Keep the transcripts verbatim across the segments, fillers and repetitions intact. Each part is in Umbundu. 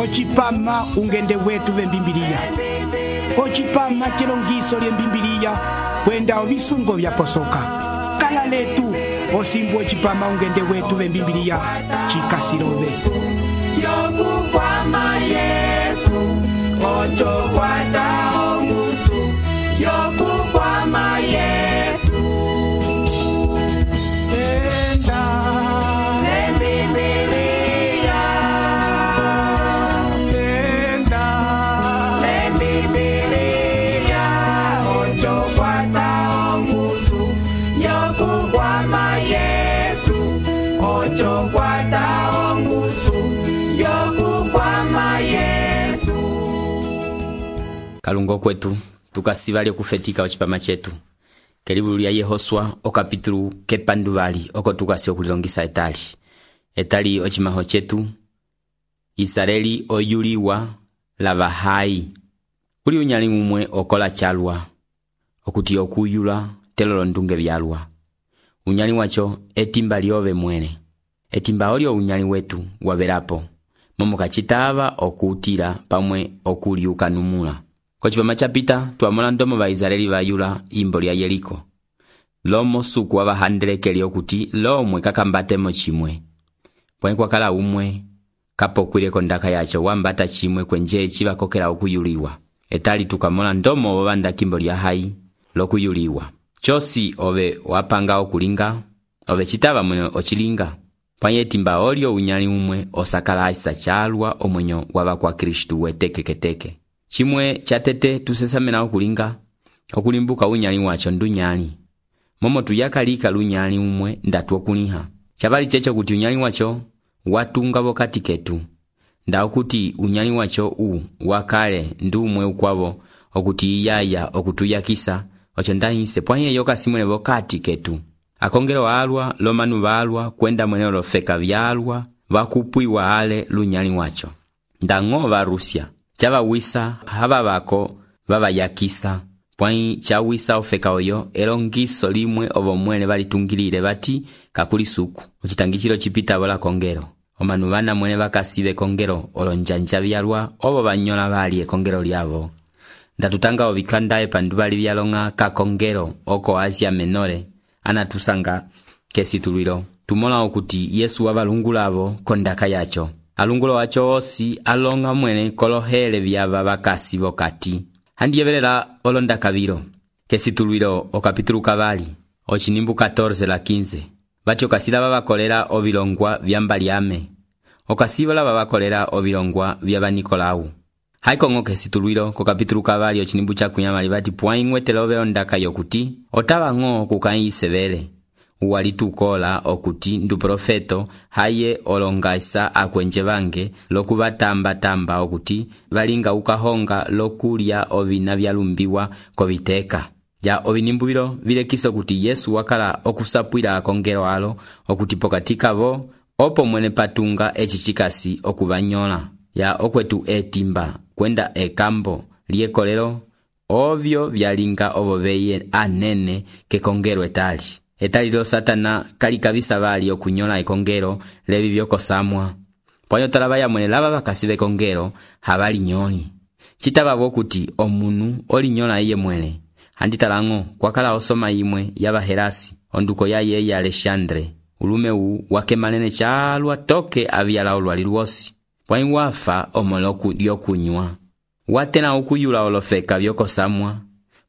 Ochipama ungende wetu vembimbilia. Ochipama chelongiso lyembimbilia kwenda ovisungo vya posoka. Kala letu osimbu ochipama ungende wetu vembimbilia chikasirove. Yokukwama Yesu ocho kwata ongusu. Yokukwama Yesu enda lembibilia enda lembibilia ocho kwata ongusu. Yokukwama Yesu ocho kwata ongusu. Yokukwama Yesu. Kalungo kwetu tukasiva lyokufetika ochipama chetu kelivulu lya Yehoswa okapitulu kepanduvali oko tukasi okulilongisa etali etali ochimaho chetu Israeli oyuliwa lava hai uli unyali umwe okola chalwa okuti okuyula telolo ndunge vyalwa unyali wacho etimba lyove mwene etimba olyo unyali wetu waverapo momo kachitava okutila pamwe okuliuka numula. Kochipama chapita tuamona ndomo va Israeli vayula imbo lya Yeriko. Lomo suku wa vahandelekeli okuti lomwe kakambatemo chimwe. Pwani kwa kala umwe kapokwile kondaka yacho wambata chimwe kwenje chiva kokela okuyuliwa. Etali tukamona ndomo wabanda kimbo lya hai lokuyuliwa. Chosi ove wapanga okulinga ove chitava mwene ochilinga. Pwani etimba olio unyali umwe osakala isa chalwa omwenyo wava kwa Kristu weteke keteke. Chimwe chatete tusesamena okulinga okulimbuka unyali wacho ndunyali momo tuyakalika lunyali umwe ndatu okuliha chabali checho kuti unyali wacho watunga vokati ketu nda okuti unyali wacho u wakale ndumwe ukwavo okuti iyaya okutuyakisa ocho ndahise pwanye yoka simwene vokati ketu akongero alwa lomanu valwa kwenda mwene olofeka vyalwa vakupwiwa ale lunyali wacho ndango va Rusia chava wisa hava vako vava yakisa pwai chawisa ofeka oyo elongiso limwe ovo mwene valitungilile vati kakuli suku uchitangichilo chipita vola kongero omanu vana mwene vakasive kongero olonjanja vyalwa ovo vanyola vali ekongero lyavo ndatutanga ovikandae panduvali vyalonga kakongero oko Asia Menore anatusanga kesitulwilo tumola okuti Yesu wavalungulavo kondaka yacho alungulo wacho osi alonga mwene kolohele vyava vakasi vokati handiyevelela olonda kaviro kesitulwilo okapitulu kavali ochinimbu catorce la quince vati okasila vavakolera ovilongwa vyambaliame okasivola vavakolera ovilongwa vyava Nikolau haikongo kesitulwilo kokapitulu kavali ochinimbu cha kunyamali vati pwaing'wetela ove ondaka yokuti otavang'o kukaisevele uwalitukola okuti ndu profeto haye olongaisa akwenje vange lokuvatamba tamba okuti valinga ukahonga lokulya ovina vyalumbiwa koviteka ya ovinimbuvilo vilekisa okuti Yesu wakala okusapwila akongero alo okuti pokatika vo opo mwene patunga echichikasi okuvanyola ya okwetu etimba kwenda ekambo liekolelo ovyo vyalinga ovo veye anene kekongero etali etali lo Satana kali kavisa vali okunyola ekongero levi vyokosamwa pwanyo talava ya mwene lava vakasive kongero havali nyoli chitava vokuti omunu oli nyola iye mwene handitalango kwakala osoma imwe yava Herasi onduko ya yeye Alexandre ulume u wakemanene chalwa toke avyala olwali lwosi pwanyi wafa omoloku lyokunywa watena ukuyula olofeka vyokosamwa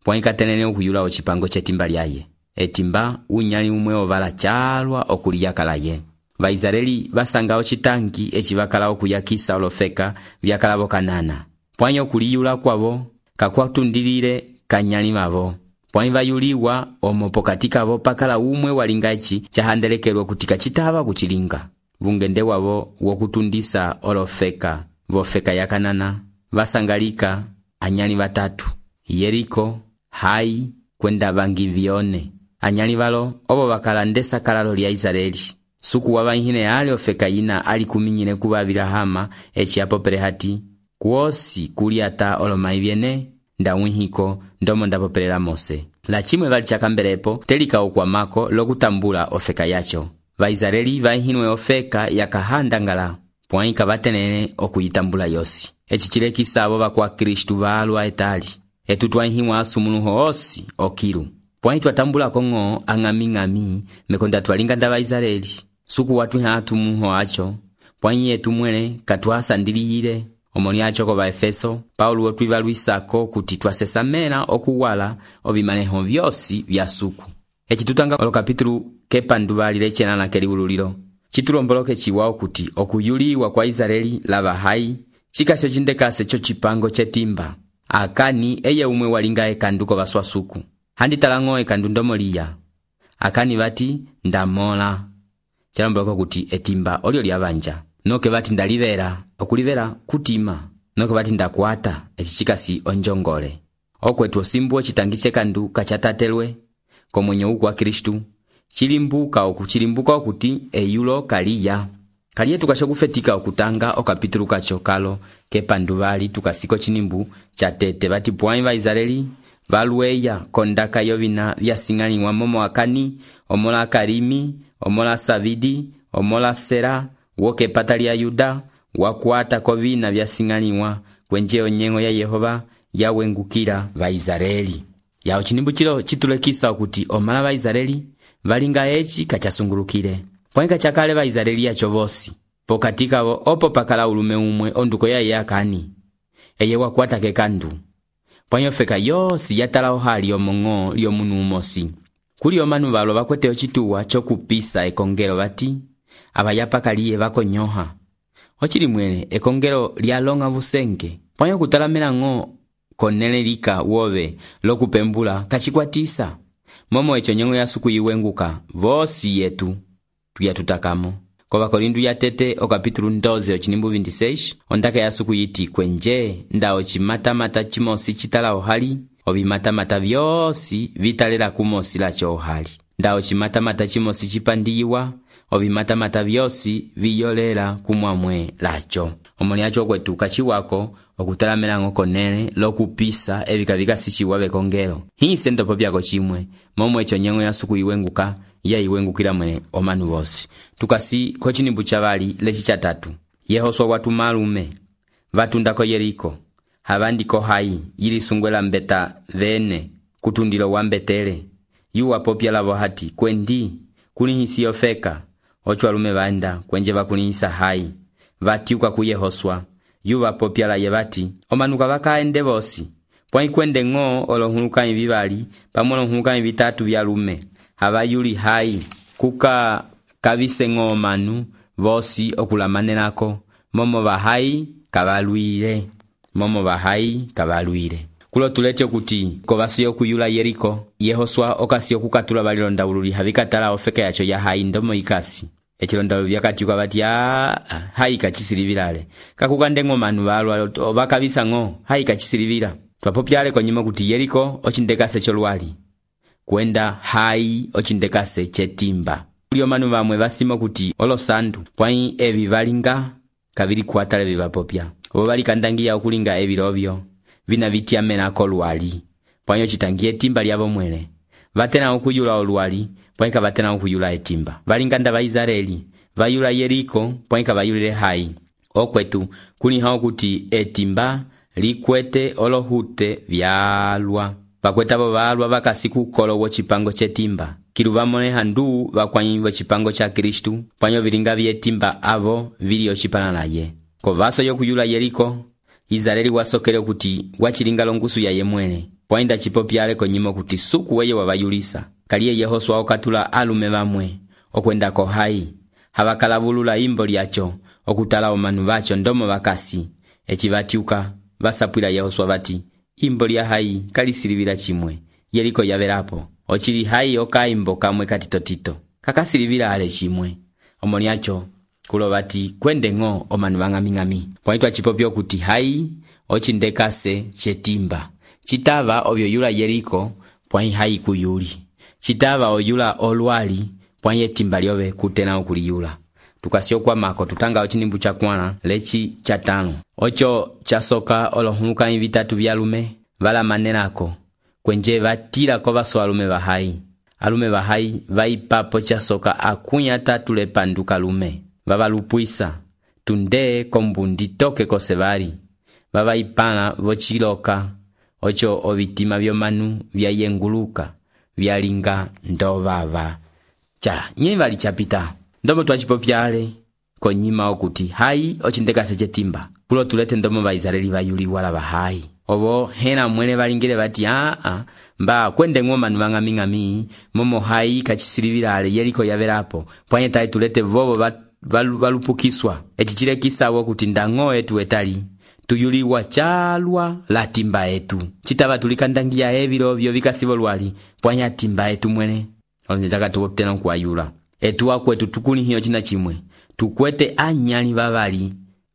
pwanyi katenene ukuyula ochipango chetimba lyaye etimba unyali umwe ovala chalwa okuliyakala ye Vaisraeli vasanga ochitangi echivakala okuyakisa olofeka vyakala vokanana pwanyi okuliyula kwavo kakwatundilile kanyali mavo pwanyi vayuliwa omo pokati kavo pakala umwe walinga echi chahandelekelwa kutika chitava kuchilinga vungende wavo wokutundisa olofeka vofeka yakanana vasangalika anyali vatatu Yeriko Hai kwenda vangi vione anyali valo obo vakala ndesa kalalo lya Israeli suku wavahine ali ofeka ina ali kuminyine kuvavila hama echi apo perehati kuosi kuliata olomai vyene ndawihiko ndomo ndapopelela Mose la chimwe vali chakambelepo telika okwamako lokutambula ofeka yacho Vaisraeli vahinwe ofeka yakahandangala pwãyi kavatenene okuyitambula yosi. Eci cilekisa avo vakwa Kristu valwa etali etu twãhĩwa asumuluho osi okilu. Pwãyi twatambulako ng'o ang'ami-ng'ami mekonda twalinga nda Vaisraeli suku watwiha atumuho aco pwãyi yetu mwene katwasandiliyile omoni aco ko Vaefeso Paulo otwivalwisako kuti twasesamela okuwala ovimaneho vyosi vya suku. Eci tutanga olokapitulu kepanduvali lecenana kelivululilo citulomboloke ciwa kuti okuyuliwa kwa Israeli lava hai cikasyo cindekase co cipango cetimba akani eye umwe walinga ekanduko vaswa suku handitala ng'o ekandu ndomoliya akani vati ndamola calomboloko kuti etimba olio lyavanja noke vati ndalivera okulivera kutima noke vati ndakwata eci cikasi onjongole okwetu osimbuo citangi cekandu kacatatelwe komwenyo uku wa Kristu cilimbuka oku cilimbuka okuti eyulo kaliya kaliye tukasho kufetika okutanga okapitulu kaco kalo kepanduvali tukasiko cinimbu catete vati pwãyi va Israeli valweya kondaka yovina vyasing'aniwa momo akani omola Karimi omola Savidi omola Sera woke pata lya Yuda wakwata kovina vyasing'aniwa kwenje onyengo ya Yehova yawengukila va Israeli. Yao cinimbu cilo citulekisa okuti omala va Israeli valinga eci kacasungulukile pwãyi kacakale va Israeli yaco vosi pokati kavo opo pakala ulume umwe onduko yaye akani eye wakwata kekandu pwãyi ofeka yosi yatala ohali omong'o lyomunu umosi kuli omanu valwa vakwete ocituwa cokupisa ekongelo vati avayapakaliye vakonyoha ocili mwene ekongelo lyalonga vusenge pwãyi okutalamela ng'o konele lika wove lokupembula kacikwatisa momo eco nyengo ya suku yiwenguka vosi yetu tuyatutakamo. Kova Korindu ya tete okapitulu ndoze ocinimbu vinti-seis ondaka ya suku yiti kwenje nda ocimata-mata cimosi citala ohali ovimata-mata vyosi vitalela kumosi laco ohali nda ocimata-mata cimosi cipandiyiwa ovimata-mata vyosi viyolela kumwamwe laco. Omoni aco kwetu kaciwako okutalamela ng'o konele lokupisa evika vikasiciwa vekongelo hise ndopo pyako cimwe momo eco nyengo ya suku yiwenguka ya iwengukila mwene omanu vosi. Tukasi kocinimbu cavali leci catatu Yehoswa watuma alume vatundako Yeriko havandiko hai yilisungwela mbeta vene kutundilo wa mbetele yuwa popya lavo hati kwendi kulihisi yofeka ocho alume vaenda kwenje vakulihisa hai vatiuka ku Yehoswa yuwa popya la yevati omanuka vakaende vosi pwãyi kwende ng'o olohulukanyi vivali pamwe olohulukanyi vitatu vyalume havayuli hai kuka kavise ng'o omanu vosi okulamanelako momo vahai kavalwile momo vahai kavalwile kulo tulete kuti kovasi okuyula Yeriko Yehoswa okasi okukatula valilondawululi havikatala ofeka yaco ya hai ndomo ikasi ecilondawulu vyakatiuka vati aa hai kachisilivilale kakukande ng'o manu valwa vakavisa ng'o hai kachisilivila twapopyale konyima kuti Yeriko ocindekase colwali kwenda hai ocindekase cetimba kulio manu vamwe vasimo kuti olosandu pwãyi evi valinga kavili kuatale vivapopya ovo valikandangiya okulinga evilovyo vina vityamenako lwali pwãyi ocitangi etimba lyavo mwene vatena okuyula olwali pwãyi kavatena okuyula etimba valinga nda va Israeli vayula Yeriko pwãyi kavayulile hai okwetu kuliha okuti etimba likwete olohute vyalwa vakwetavo valwa vakasi kukolo wocipango cetimba kilu vamoneha ndu vakwãyi vocipango ca Kristu pwãyi ovilinga vyetimba avo vili ocipana naye kovaso yokuyula Yeriko Israeli wasokele okuti wacilinga longusu yaye mwene pwãyi ndacipopyale konyima kuti suku weye wavayulisa kaliye Yehoswa okatula alume vamwe okwendako hai havakalavulula imbo lyaco okutala omanu vaco ndomo vakasi eci vatiuka vasapwila Yehoswa vati imbo lya hai kalisilivila cimwe Yeriko yavelapo ocili hai okaimbo kamwe katitotito kakasilivila ale cimwe omoni aco kulo vati kwende ng'o omanu vang'ami-ng'ami pwãyi twacipopya okuti hai ocindekase cetimba citava ovyoyula Yeriko pwãyi hai kuyuli citava oyula olwali pwãyi etimba lyove kutena okuliyula. Tukasi okwamako tutanga ocinimbu cakuana leci catano oco casoka olohulukanyi vitatu vyalume valamanelako kwenje vatilako vaso alume vahai alume vahai vaipapo casoka akunya tatu lepanduka lume vavalupwisa tunde kombundi toke kosevali vavaipala vociloka ocho ovitima vyomanu vyayenguluka vyalinga ndovava cha nye vali chapita ndomo twachipopyale konyima okuti hai ochindekase chetimba kulo tulete ndomo vaisraeli vayuliwa la bahai ovo hena mwene valingile vati aa a, mba kwende ng'oma nuvang'aming'ami momo hai kachisilivilale yeliko yavelapo pwanye tai tulete vovo va, val, valupukiswa echichile kisawo kuti ndang'o etu etali tuyuliwa chalwa la timba etu chitava tulikandangia evilo vyo vikasivo lwali pwanya timba etu mwene olonjaka tuwoptena nkuayula etu akwetu tukuni hiyo china chimwe tukwete anyali vavali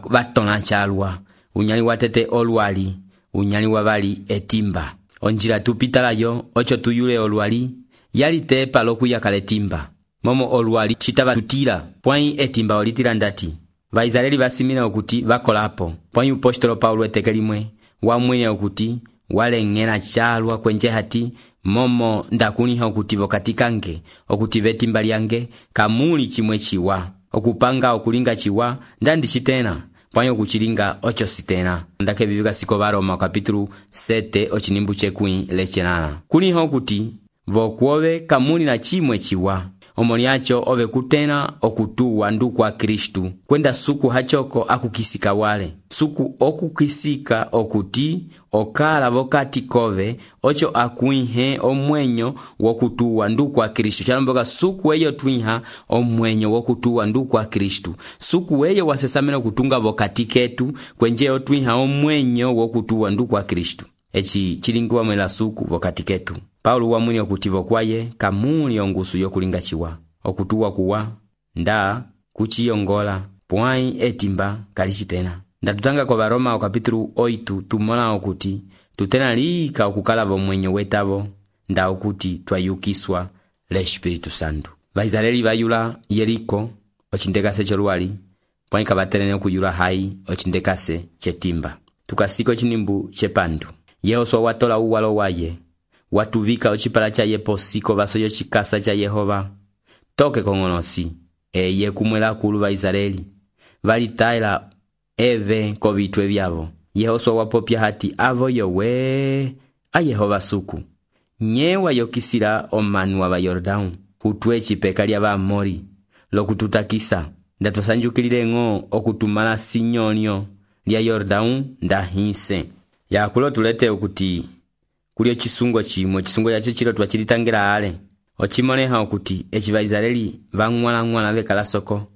vatona chalwa unyali watete olwali unyali wavali etimba onjila tupitalayo ocho tuyule olwali yali tepa lokuyakale timba momo olwali chitava tutila pwai etimba olitila ndati vaisraeli vasimila okuti vakolapo pwai upostolo paulo etekelimwe wamwine okuti waleng'ela chalwa kwenje hati momo ndakuniha okuti vokatikange okuti vetimba lyange kamuli chimwe chiwa okupanga okulinga chiwa ndandi chitena pwai okuchilinga ocho sitena ndake vivika siko varoma kapitulu sete ochinimbu chekwi lechelala kuniha okuti vokuove kamuli na chimwe chiwa omoliacho ove kutena okutuwa ndu kwa Kristu kwenda suku hachoko akukisika wale suku okukisika okuti okala vokati kove ocho akuihe omwenyo wokutuwa ndu kwa Kristu chalamboka suku eyo twiha omwenyo wokutuwa ndu kwa Kristu suku eyo wasesamena kutunga vokati ketu kwenje otwiha omwenyo wokutuwa ndu kwa Kristu echi chilingiwa mwela suku vokati ketu Paulo wamwini okuti vokwaye kamuli ongusu yokulinga chiwa okutuwa kuwa nda kuchiyongola pwai etimba kalichitena ndatutanga kwa Varoma okapitulu oitu tumola okuti tutena lika okukala vomwenyo wetavo nda okuti twayukiswa le Espiritu Santo vaisraeli vayula Yeriko ochindekase cholwali pwai kavaterene okuyula hai ochindekase chetimba tukasiko chinimbu chepandu Yehoswa watola uwalo waye watuvika ochipala cha yeposiko vasoyo chikasa cha Yehova toke kong'onosi eye kumwela kulu vaisraeli valitaila eve kovitwe vyavo Yehoswa wapopya hati avo yowe a Yehova suku nyewa yokisila omanu wa Yordao hutwe chipeka lya Vaamori lokututakisa ndatosanjukilile ng'o okutumala sinyonyo lya Yordao ndahise yakulo tulete okuti kulio chisungo chimwe chisungo yacho chilo twachilitangela ale ochimoneha okuti echi vaisraeli vang'wala ng'wala vekala soko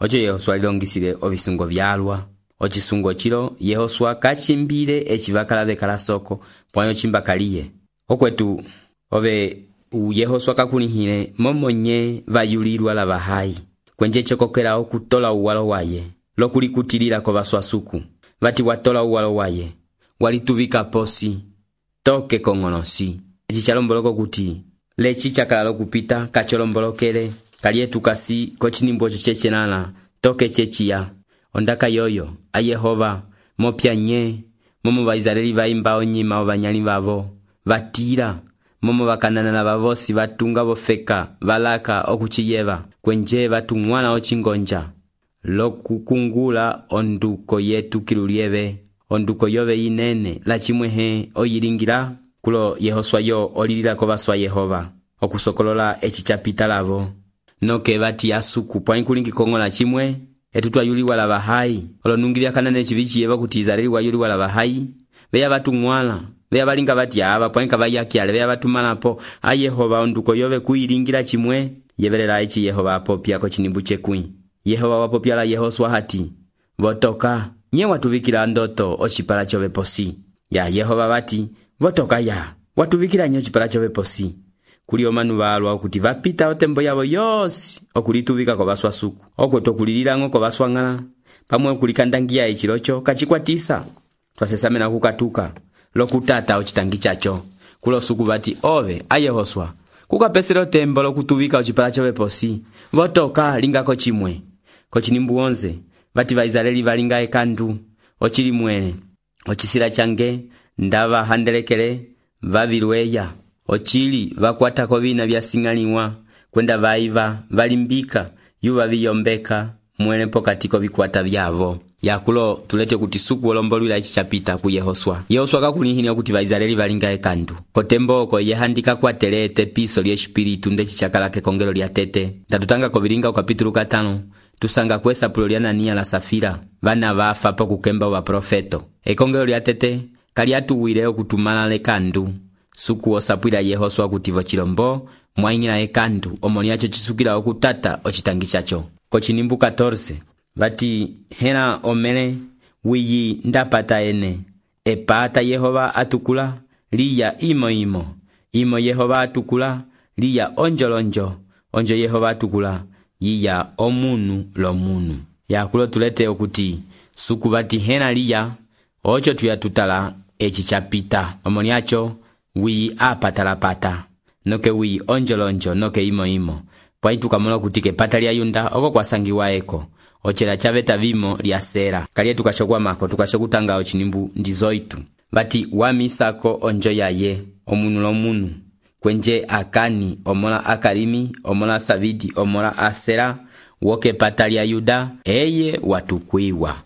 ocho Yehoswa lilongisile ovisungo vyalwa ochisungo chilo Yehoswa kachimbile echi vakala vekala soko pwanyo chimbakaliye okwetu ove u Yehoswa kakunihile momonye vayulilwa la bahai kwenje chokokela okutola uwalo waye lokulikutilila ko vaswasuku vati watola uwalo waye walituvika posi toke kong'onosi echi chalomboloko kuti lechi chakala kupita kacholombolokele kalietukasi kochinimbo chechenala toke chechiya ondaka yoyo a Yehova mopya nye momo vaisraeli vaimba onyima ovanyali vavo vatila momo vakananala vavosi vatunga vofeka valaka okuchiyeva kwenje vatung'wana ochingonja lokukungula onduko yetu kilulieve onduko yove inene la chimwehe oyilingila kulo Yehoswa yo olilila ko vaswa Yehova okusokolola echi chapita lavo noke vati asuku pwai kulingi kongola chimwe etu twayuliwa la bahai olonungilya kanane chivichi yeva kuti Israeli wayuliwa la bahai veya vatung'wala veya valinga vati ava pwai kavayakyale veya vatumalapo a Yehova onduko yove kuyilingila chimwe yevelela echi Yehova apopya ko chinimbu chekwi Yehova wapopya la Yehoswa hati votoka nye watuvikila ndoto ochipala chove posi ya Yehova vati votoka ya watuvikila nye ochipala chove posi kuli omanu valwa okuti vapita otembo yavo yosi okulituvika ko vaswasuku okweto kulilila ng'o ko vaswang'ala pamwe okulikandangia echilocho kachikwatisa twasesamena kukatuka lokutata ochitangi chacho kulo suku vati ove a Yehoswa kukapesela otembo lokutuvika ochipala chove posi votoka lingako chimwe kochinimbu onze vati vaisraeli valinga ekandu ochili mwene ochisila change ndava handelekele vavilweya ochili vakwata kovina vyasing'aliwa kwenda vaiva valimbika yuva viyombeka mwene pokati kovikwata vyavo. Yakulo tulete kuti suku olombolwila ichi chapita ku Yehoswa. Yehoswa kakulihini okuti Vaisraeli valinga ekandu. Kotemboko yehandika kwatele tepiso lye espiritu nde chichakala kekongelo lya tete. Ndatutanga kovilinga ukapitulu katano. Tusanga kwesa pulo lya Anania la Safira. Vana vafa po kukemba wa profeto. Ekongelo lya tete kaliatuwile okutumala lekandu. Suku osapwila Yehoswa kutivo chilombo mwaingila ekandu omoniacho chisukila okutata ochitangi chacho. Kochinimbu catorce vati hena omele wiyi ndapata ene epata Yehova atukula liya imo imo imo Yehova atukula liya onjolonjo onjo Yehova atukula yiya omunu lomunu. Yakulo tulete okuti suku vati hena liya ocho tuyatutala echi chapita omoniacho wiyi apatalapata noke wiyi onjolonjo noke imo imo. Pwai tukamola kuti kepata lya Yunda oko kwasangiwa eko ochela chaveta vimo lya Sera. Kaliye tukachokwa mako tukachokutanga ochinimbu ndizoitu vati wamisako onjo yaye omunu lomunu kwenje Akani omola Akarimi omola Savidi omola Asera woke pata lya Yuda eye watukwiwa.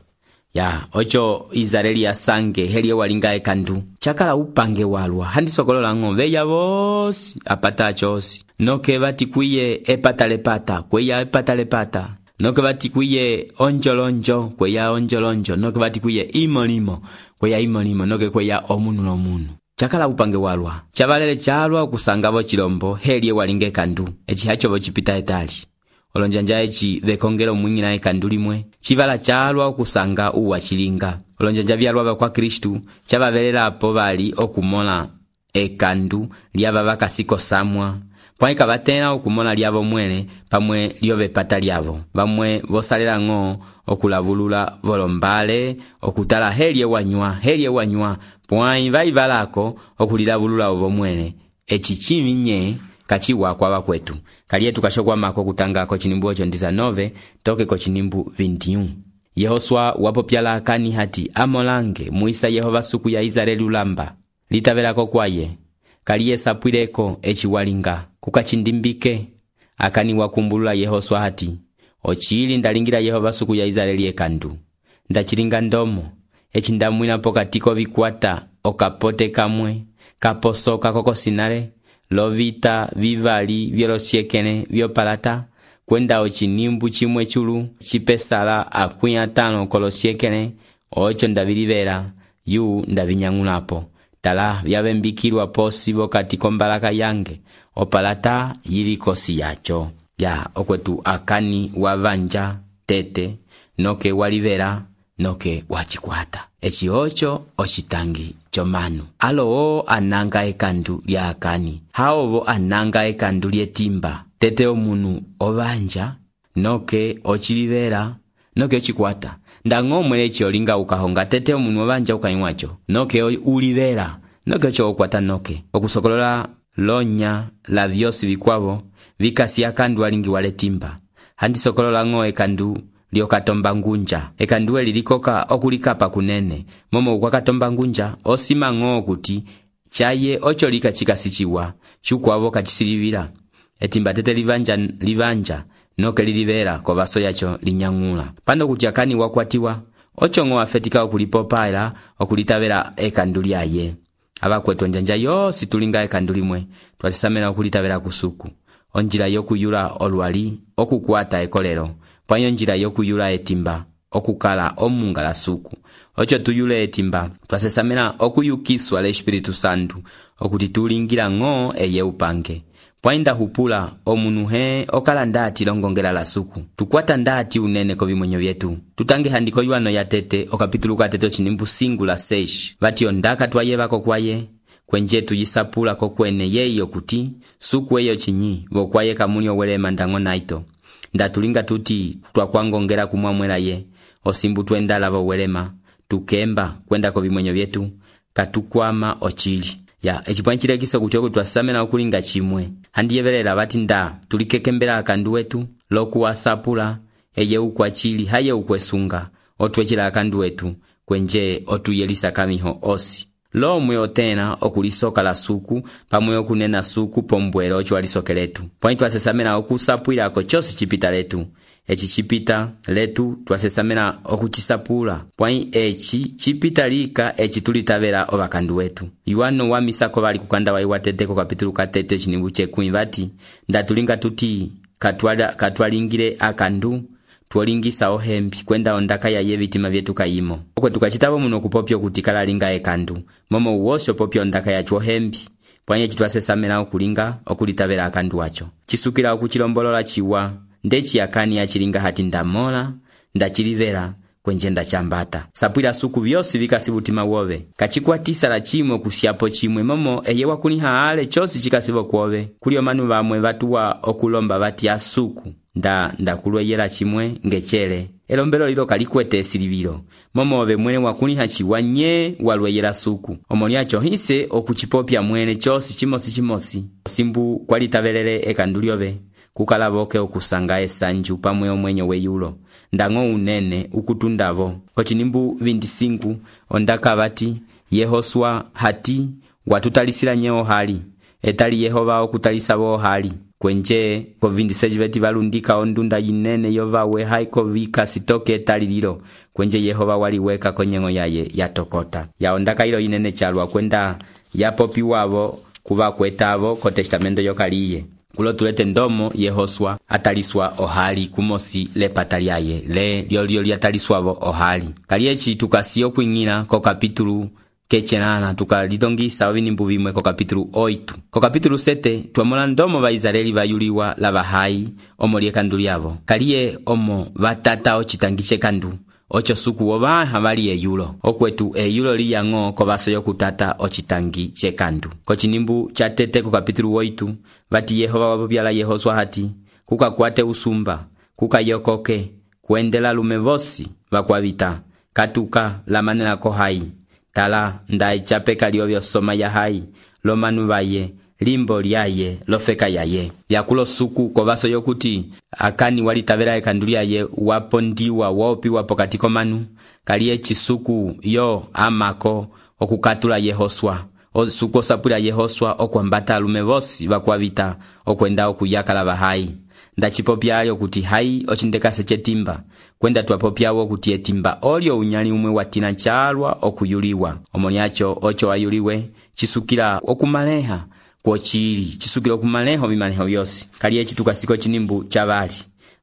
Ya ocho Israeli ya sange heliye walinga ekandu chakala upange walwa handi sokolola ng'ombe ya vosi apata chosi noke vati kuye epatalepata kweya epatalepata noke vati kuye onjolonjo kweya onjolonjo noke vati kuye imolimo kweya imolimo noke kweya omunu lomunu chakala upange walwa chavalele chalwa kusangavo chilombo heliye walinga ekandu echi hachovo chipita etali olonjanja echi vekongelo mwingina ekandu limwe chivala chalwa okusanga uwa chilinga. Olonjanja vyalwa kwa Kristu chavavelela apo vali okumola ekandu lyava vakasiko samwa pwaika vatena okumola lyavo mwene pamwe lyove pata lyavo vamwe vosalela ng'o okulavulula volombale okutala helye wanywa helye wanywa pwai vaivalako okulilavulula ovo mwene echi chiminye kachiwa kwa wakwetu. Kaliye tukashokwa mako kutanga kochinimbu ocho ndiza nove toke kochinimbu vintiun. Yehoswa wapopyala Akani hati amolange muisa Yehova suku ya Israeli ulamba litavelako kwaye kaliye sapwileko echi walinga kukachindimbike. Akani wakumbulula Yehoswa hati ochili ndalingira Yehova suku ya Israeli ekandu ndachilinga ndomo echi ndamwina pokatiko vikwata okapote kamwe kaposoka kokosinale lovita vivali vyolosiekene vyopalata kwenda ochinimbu chimwe chulu chipesala akwi atano kolosiekene ocho ndavilivela yu ndavinyang'ulapo tala vyavembikilwa posi vokati kombalaka yange opalata yili kosi yacho. Ya okwetu Akani wavanja tete noke walivela noke wachikwata echi ocho ochitangi chomanu. Alo ananga ekandu lya Akani haovo ananga ekandu lyetimba tete omunu ovanja noke ochilivela noke ochikwata ndang'o mwele echi olinga ukahonga tete omunu ovanja ukaimwacho noke ulivela noke ocho okwata noke okusokolola lonya la vyosi vikwavo vikasi akandu alingi wale timba handi sokolola ng'o ekandu lyokatomba ngunja ekandu elilikoka okulikapa kunene momo ukwakatomba ngunja osima ng'o kuti chaye ocho lika chikasichiwa chukwavo kachisilivila etimba tete livanja livanja noke lilivela kovaso yacho linyang'ula pando kuti Akani wakwatiwa ocho ng'o afetika okulipopala okulitavela ekandu lyaye. Abakwetu njanja yosi tulinga ekandu limwe twasisamela okulitavela kusuku onjila yokuyula olwali okukwata ekolero pwayo njila yokuyula etimba okukala omungala suku ocho tuyule etimba twasesamela okuyukiswa le Espiritu Santu okuti tulingira ng'o eye upange pwainda hupula omunu he okala ndati longongela la suku tukwata ndati unene kovimwenyo vyetu. Tutange handiko yuano ya tete okapitulu katete ochinimbu singu la sesh vati ondaka twayevako kwaye kwenje tuyisapula kokwene yeyo kuti suku eyo chinyi vokwaye kamuni owelema ndango naito ndatulinga tuti twakwangongela kumwamwela ye osimbu twendala vowelema tukemba kwenda kovimwenyo vyetu katukwama ochili. Ya echipwanchile kiso kuti oku twasamela okulinga chimwe handiyevelela vati nda tulikekembela akandu wetu lokuwasapula eye ukwachili haye ukwesunga otwechila akandu wetu kwenje otuyelisa kamiho osi lomwe otena okulisoka la suku pamwe okunena suku pombwelo ocho walisokeletu pwani twasesamela okusapwila ako chosi chipita letu eci cipita letu twasesamena okucisapula pwai eci cipita lika eci tulitavela ovakandu wetu. Yuano wa misako bali kukanda wa iwatete ko kapitulu katete chinimbu chekumi vati ndatulinga tuti katwala katwalingile akandu tuolingisa ohembi kwenda ondaka ya ye vitima vyetu kayimo. Okwe tukachitabo muno kupopyo kutikala linga ekandu momo uwosho popyo ondaka ya chuohembi pwanye chitwasesamena okulinga okulitavela akandu wacho. Chisukila okuchilombolola chiwa ndechi yakani ya chilinga hati ndamola ndachilivela kwenjenda chambata. Sapwila suku vyosi vikasibutima wove. Kachikwatisa la chimwe kusiapo chimwe momo eye wakuniha ale chosi chikasibo kwove. Kulio manu vamwe vatuwa okulomba vati ya suku nda ndakulwe yela chimwe ngechele. Elombelo lilo kalikwete silivilo. Momo ove mwene wakuniha chiwa nye walwe yela suku. Omoniacho hise okuchipopya mwene chosi chimosi chimosi. Simbu kwalitavelele ekanduliove. Kukalavoke okusanga esanju pamwe omwenyo weyulo ndango unene ukutundavo kochinimbu vindisingu ondaka vati Yehoswa hati watutalisila nyeo hali etali Yehova okutalisa wo hali kwenje ko vindiseji veti valundika ondunda yinene yovawe haiko vika sitoke etali lilo kwenje Yehova waliweka konyengo yaye yatokota ya ondaka ilo yinene chalwa kwenda yapopi wavo kuva kwetavo ko testamento yokaliye. Kulo tulete ndomo Yehoswa ataliswa ohali kumosi le pataliaye le lyolyo lyataliswavo ohali. Kaliechi tukasiyo kuingina ko kapitulu kechenana tukalidongisa ovinimbu vimwe ko kapitulu oitu. Ko kapitulu sete tuamola ndomo va Israeli vayuliwa lava hai omo liekandu lyavo. Kalie omo vatata ochitangiche kandu. Ocho suku wova havali eyulo. Okwetu eyulo liyango kovaso yokutata ochitangi chekandu. Kochinimbu chatete ku kapitulu oitu. Vati Yehova wapopiala Yehoswa hati. Kuka kuate usumba. Kuka yokoke. Kuendela lumevosi. Vakwavita. Katuka la manela ko hai. Tala ndai chapeka liovyo soma ya hai. Lomanu vaye. Limbo liaye lofeka yaye. Yakulo suku kovaso yokuti akani walitavela ekanduli yaye wapondiwa wopi wapo katiko manu. Kalie chisuku yo amako okukatula Yehoswa. Osuku osapula Yehoswa okwambata alumevosi vakwavita okwenda okuyaka la bahai. Ndachipopya alio kuti hai ochindekase chetimba. Kwenda tuwapopyawo kuti etimba olio unyali umwe watina chalwa okuyuliwa. Omoniacho ocho ayuliwe chisukila okumaleha. Kuochiri, chisukilo kumaleho vimaleho yosi. Kalie chitukasiko chinimbu chavali.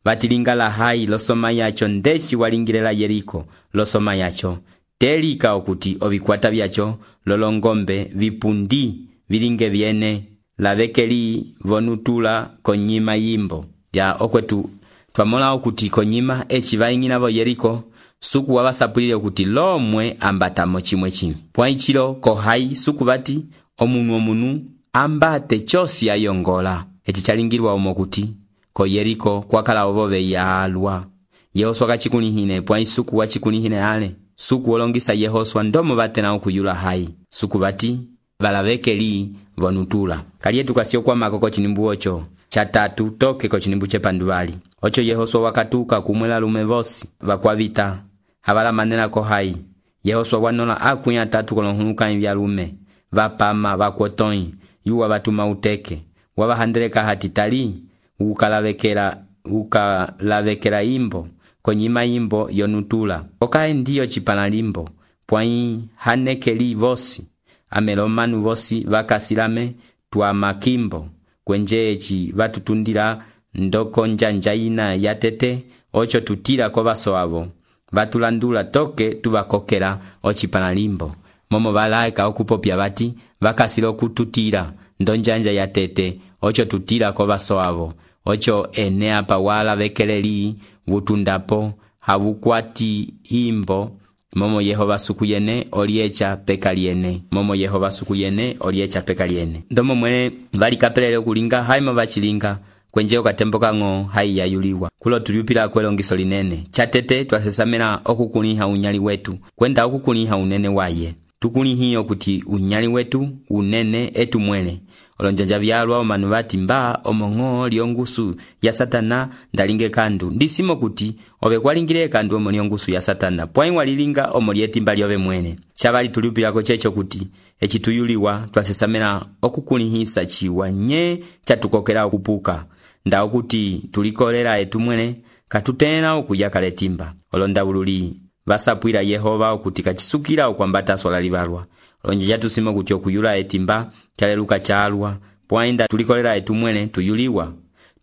Vatilinga la hai losoma yacho ndechi walingilela Yeriko losoma yacho. Telika okuti ovikwata vyacho lolongombe vipundi vilinge viene lavekeli vonutula konyima yimbo. Ya okwetu twamola okuti konyima echi vaingina vo Yeriko suku wavasapulile okuti lomwe ambatamo chimwe chimwe. Pwaichilo ko hai suku vati omunu omunu ambate chosi ayongola. Eti chalingirwa omokuti ko Yeriko kwakala ovove yalwa. Yehoswa kachikunihine pwa isuku wachikunihine ale. Suku olongisa Yehoswa ndomo vate na okuyula hai. Suku vati valavekeli vonutula. Kalie tukasio kwa mako ko chinimbu ocho. Chatatu toke ko chinimbu chepanduvali. Ocho Yehoswa wakatuka kumwela lumevosi. Vakwavita. Havala manena ko hai. Yehoswa wanola akunya tatu kolonhunuka invya lume. Vapama vakwotoi. Yuwa batuma uteke. Wabahandeleka hatitali. Ukalavekela. Ukalavekela imbo. Konyima imbo yonutula. Okae ndiyo chipana limbo. Pwai hanekeli vosi. Amelomanu vosi vakasilame tuwa makimbo. Kwenjeechi vatutundila ndoko njanjaina yatete. Ocho tutila kwa vaso avo. Vatulandula toke tuvakokela ochipana limbo. Momo valaika okupopya vati vakasilo kututila ndonjanja yatete. Ocho tutila kwa vaso avo. Ocho enea pa wala vekeleli vutundapo havukwati imbo. Momo Yehova sukuyene oliecha pekaliene. Momo Yehova sukuyene oliecha pekaliene. Ndomo mwene vali kapelele kulinga haima vachilinga kwenjeo katembo kango hai yayuliwa. Kulo tuliupila kwelongiso linene. Chatete twasesamena okukuniha unyali wetu. Kwenda okukuniha unene waye. Tukunihiyo kuti unyali wetu unene etu mwele. Olonjanja vyalwa omanu vati mba omongo liongusu ya satana ndalinge kandu. Ndisimo kuti ove kwalingile kandu omo liongusu ya satana. Pwai walilinga omo lietimba liove mwene. Chavali tuliupilako checho kuti echituyuliwa twasesamena okukunihisa chiwa nye chatukokela okupuka. Nda okuti tulikolera etu mwene katutena okuyaka letimba. Olonda ululi vasapwila Yehova okuti kachisukila okwambata sola livalwa. Olonja jatusima kuti okuyula etimba chaleluka chalwa, pwainda tulikolela etu mwene tuyuliwa.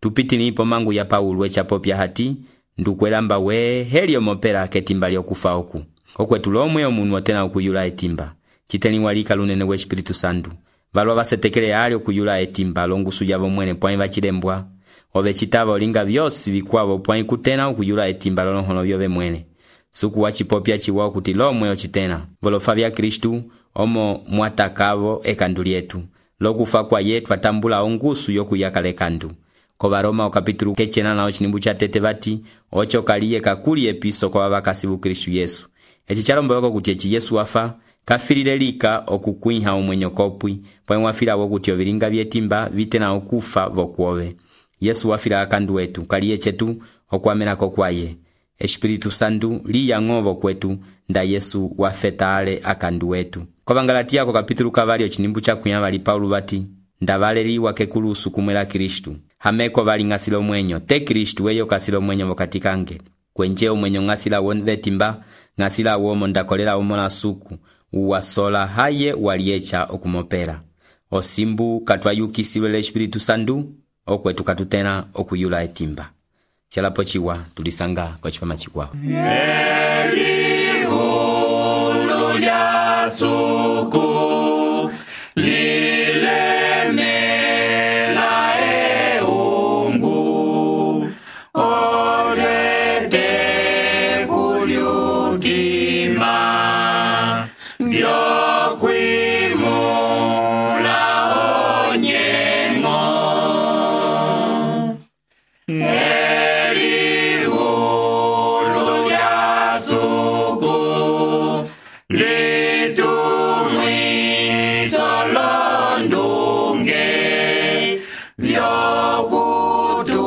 Tupitilipo mangu ya Paulo echapopya hati, ndukwelamba we helio mopela ketimba lyokufa oku. Okwetu lomwe omunu otena okuyula etimba. Chiteliwalika lunene we Espiritu Santu. Valwa vasetekele ali okuyula etimba longusu yavo mwene pwain vachilembwa. Ove chitava olinga vyosi vikwavo pwain kutena okuyula etimba lolohono vyove mwene. Suku wachipopya chiwao kuti lomwe ochitena. Volofa vya Kristu omo mwatakavo ekandu lyetu. Lokufa kwa yetu atambula ongusu yokuyaka lekandu. Kova Roma okapitulu kechena na ochinimbu cha tete vati, ocho kaliye kakuli episo kwa vakasivu Kristu Yesu. Echi chalomboloko kuti echi Yesu wafa, kafilile lika okukwiha omwenyo kopwi, pwa mwafila wokuti ovilinga vyetimba vitena okufa vokuove. Yesu wafila akandu wetu, kaliye chetu okwamena kokwaye. Espiritu Santu liya ngovo kwetu, nda Yesu wafeta ale akandu wetu. Kova Ngalatia kapitulu kavari ochinimbu cha kuyavali Paulo vati, ndavaleliwa kekulusu kumwela Kristu. Hameko vali ngasilo mwenyo, te Kristu weyo kasilo mwenyo vokatikange. Kwenje omwenyo ngasila wonve timba, ngasila womo ndakolela omona suku, uwasola haye waliecha okumopela. Osimbu katwayukisilwe le Espiritu Santu, okwetu katutena okuyula etimba. Chalapo chiwa tulisanga kwa chipama chikwa. Eli hulu lya suku lile mela e ungu olete kuliutima ndio kwimula onyengo. Eli hulu lya suku litumwi solondunge vyokutu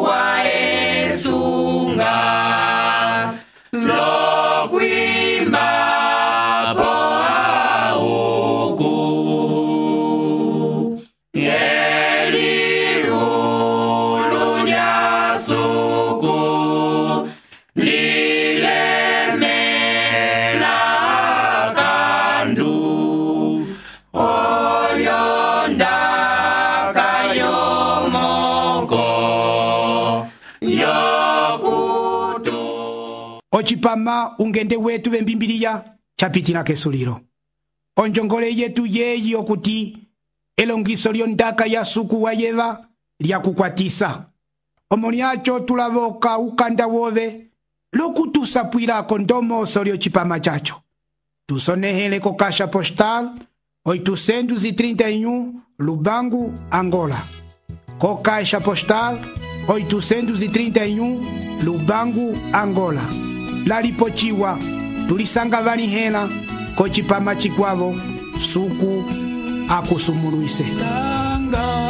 wa esunga lokwima poa uku. Eli hulu lya suku lilemela kandu olyonda kayomoko yokutu. Ochipama ungende wetu vembimbiliya chapitila kesulilo. Onjongole yetu yeyi okuti elongiso lyondaka ya suku wa yeva lya kukwatisa. Omoniacho tulavoka ukanda wove lokutusapwilako ndomoso lyochipama chacho. Tusonehele ko Caixa Postal oitocentos e trinta e um Lubango, Angola. Co Caixa Postal oitocentos e trinta e um Lubango, Angola. Lalipochiwa tulisanga vanihela ko chipama chikwavo suku akusumuluise. Tanga